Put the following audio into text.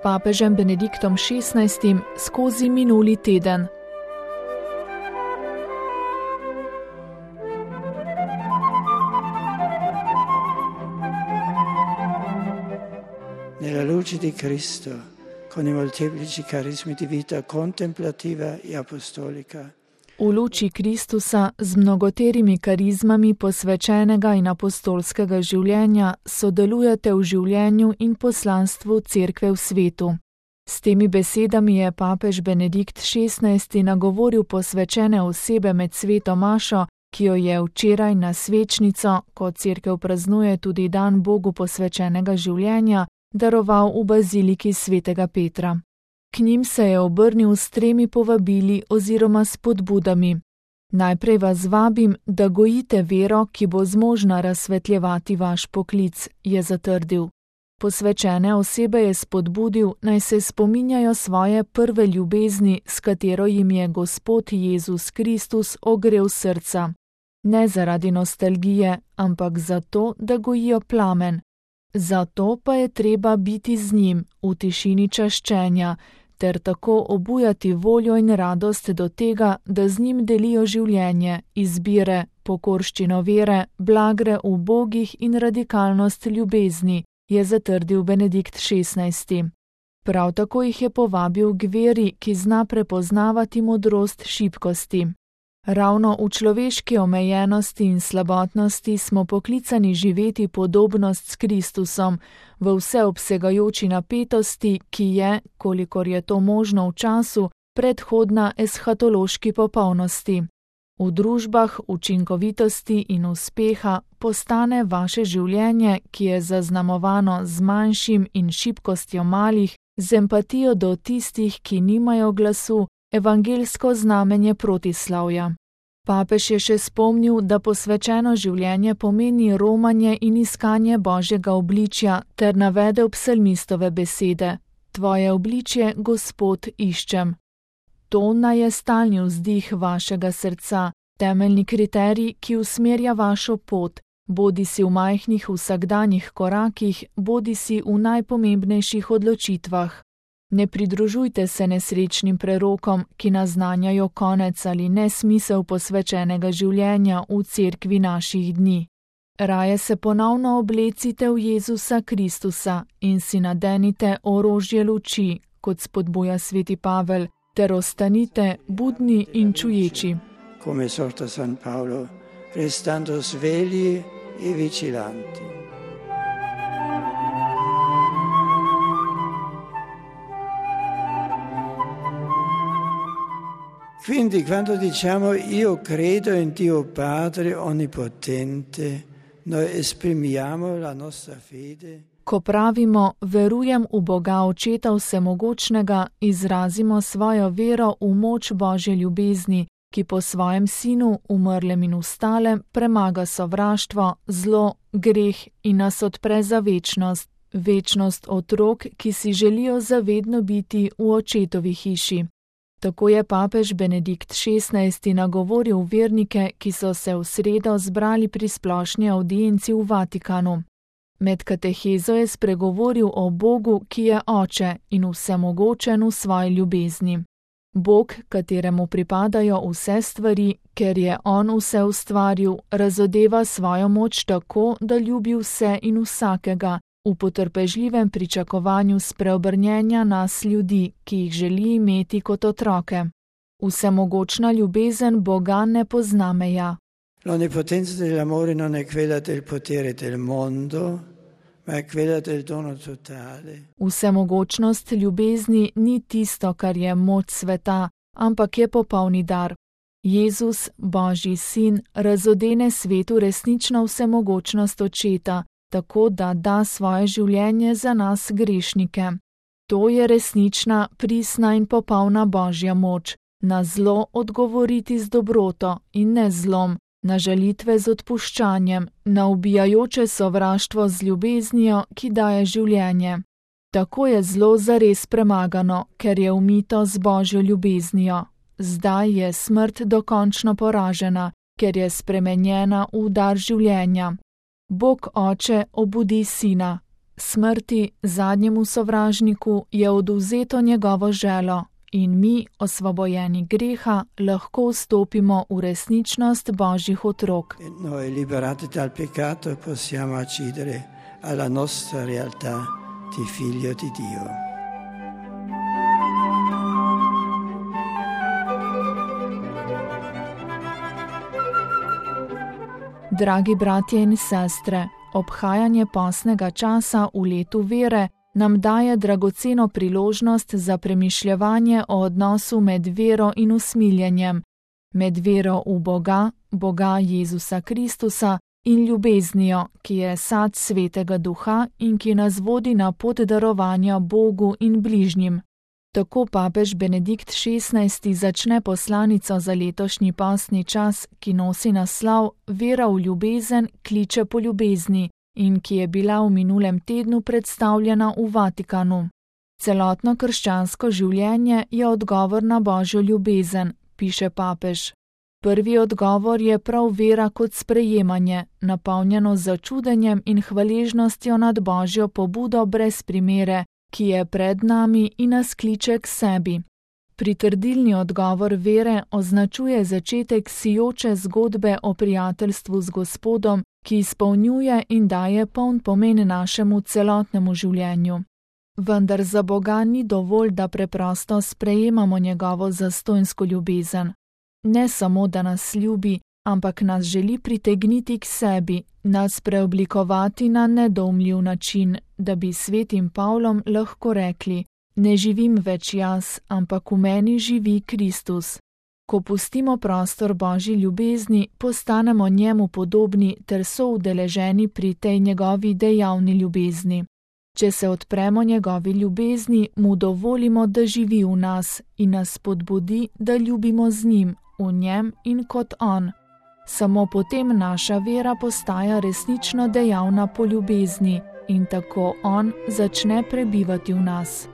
papežem Benediktom XVI skozi minuli teden. Nella luce di Cristo, con i molteplici carismi di vita contemplativa e apostolica. V luči Kristusa z mnogoterimi karizmami posvečenega in apostolskega življenja sodelujete v življenju in poslanstvu Cerkve v svetu. S temi besedami je papež Benedikt XVI nagovoril posvečene osebe med sveto mašo, ki jo je včeraj na svečnico, ko Cerkev praznuje tudi dan Bogu posvečenega življenja, daroval v baziliki svetega Petra. K njim se je obrnil s 3 povabili oziroma spodbudami. Najprej vas vabim, da gojite vero, ki bo zmožna razsvetljevati vaš poklic, je zatrdil. Posvečene osebe je spodbudil, naj se spominjajo svoje prve ljubezni, s katero jim je Gospod Jezus Kristus ogrel srca. Ne zaradi nostalgije, ampak zato, da gojijo plamen. Zato pa je treba biti z njim v tišini čaščenja, ter tako obujati voljo in radost do tega, da z njim delijo življenje, izbire, pokorščino vere, blagre ubogih in radikalnost ljubezni, je zatrdil Benedikt XVI. Prav tako jih je povabil k veri, ki zna prepoznavati modrost šibkosti. Ravno v človeški omejenosti in slabotnosti smo poklicani živeti podobnost s Kristusom, v vseobsegajoči napetosti, ki je, kolikor je to možno v času, predhodna eshatološki popolnosti. V družbah učinkovitosti in uspeha postane vaše življenje, ki je zaznamovano z manjšim in šibkostjo malih, z empatijo do tistih, ki nimajo glasu, evangelsko znamenje protislavja. Papež je še spomnil, da posvečeno življenje pomeni romanje in iskanje Božjega obličja, ter navedel psalmistove besede: Tvoje obličje, Gospod, iščem. To naj je stalni vzdih vašega srca, temeljni kriterij, ki usmerja vašo pot, bodisi v majhnih vsakdanjih korakih, bodisi v najpomembnejših odločitvah. Ne pridružujte se nesrečnim prerokom, ki naznanjajo konec ali nesmisel posvečenega življenja v cerkvi naših dni. Raje se ponovno oblecite v Jezusa Kristusa in si nadenite orožje luči, kot spodbuja sveti Pavel, ter ostanite budni in čuječi. Come esorta San Paolo, restando svegli e vigilanti. Quindi quando diciamo io credo in Dio Padre Onnipotente, noi esprimiamo la nostra fede. Ko pravimo verujem v Boga Očeta Vsemogočnega, izrazimo svojo vero v moč Božje ljubezni, ki po svojem sinu, umrlem in vstalem, premaga sovraštvo, zlo, greh in nas odpre za večnost. Večnost otrok, ki si želijo zavedno biti v Očetovi hiši. Tako je papež Benedikt XVI nagovoril vernike, ki so se v sredo zbrali pri splošni avdienci v Vatikanu. Med katehezo je spregovoril o Bogu, ki je Oče in vsemogočen v svoji ljubezni. Bog, kateremu pripadajo vse stvari, ker je On vse ustvaril, razodeva svojo moč tako, da ljubi vse in vsakega, v potrpežljivem pričakovanju spreobrnjenja nas ljudi, ki jih želi imeti kot otroke. Vsemogočna ljubezen Boga ne pozna meja. L'onnipotenza dell'amore non è quella del potere del mondo, ma è quella del dono totale. Vsemogočnost ljubezni ni tisto, kar je moč sveta, ampak je popolni dar. Jezus, Božji sin, razodene svetu resnično vsemogočnost Očeta, tako da da svoje življenje za nas grešnike. To je resnična, pristna in popolna Božja moč, na zlo odgovoriti z dobroto in ne zlom, na žalitve z odpuščanjem, na ubijajoče sovraštvo z ljubeznijo, ki daje življenje. Tako je zlo zares premagano, ker je umito z Božjo ljubeznijo. Zdaj je smrt dokončno poražena, ker je spremenjena v dar življenja. Bog Oče obudi Sina. smrti, zadnjemu sovražniku, je odvzeto njegovo želo in mi, osvobojeni greha, lahko vstopimo v resničnost Božjih otrok. Noi liberati dal peccato possiamo accedere alla nostra realtà di figlio di Dio. Dragi bratje in sestre, obhajanje postnega časa v letu vere nam daje dragoceno priložnost za premišljevanje o odnosu med vero in usmiljenjem, med vero v Boga, Boga Jezusa Kristusa in ljubeznijo, ki je sad Svetega Duha in ki nas vodi na pot darovanja Bogu in bližnjim. Tako papež Benedikt XVI začne poslanico za letošnji postni čas, ki nosi naslov Vera v ljubezen kliče po ljubezni in ki je bila v minulem tednu predstavljena v Vatikanu. Celotno krščansko življenje je odgovor na Božjo ljubezen, piše papež. Prvi odgovor je prav vera kot sprejemanje, napolnjeno z začudenjem in hvaležnostjo nad Božjo pobudo brez primere, ki je pred nami in nas kliče k sebi. Pritrdilni odgovor vere označuje začetek sijoče zgodbe o prijateljstvu z Gospodom, ki izpolnjuje in daje poln pomen našemu celotnemu življenju. Vendar za Boga ni dovolj, da preprosto sprejemamo njegovo zastonjsko ljubezen. Ne samo, da nas ljubi, ampak nas želi pritegniti k sebi, nas preoblikovati na nedoumljiv način, da bi svetim Pavlom lahko rekli: ne živim več jaz, ampak v meni živi Kristus. Ko pustimo prostor Božji ljubezni, postanemo njemu podobni ter soudeleženi pri tej njegovi dejavni ljubezni. Če se odpremo njegovi ljubezni, mu dovolimo, da živi v nas in nas spodbudi, da ljubimo z njim, v njem in kot on. Samo potem naša vera postaja resnično dejavna po ljubezni in tako on začne prebivati v nas.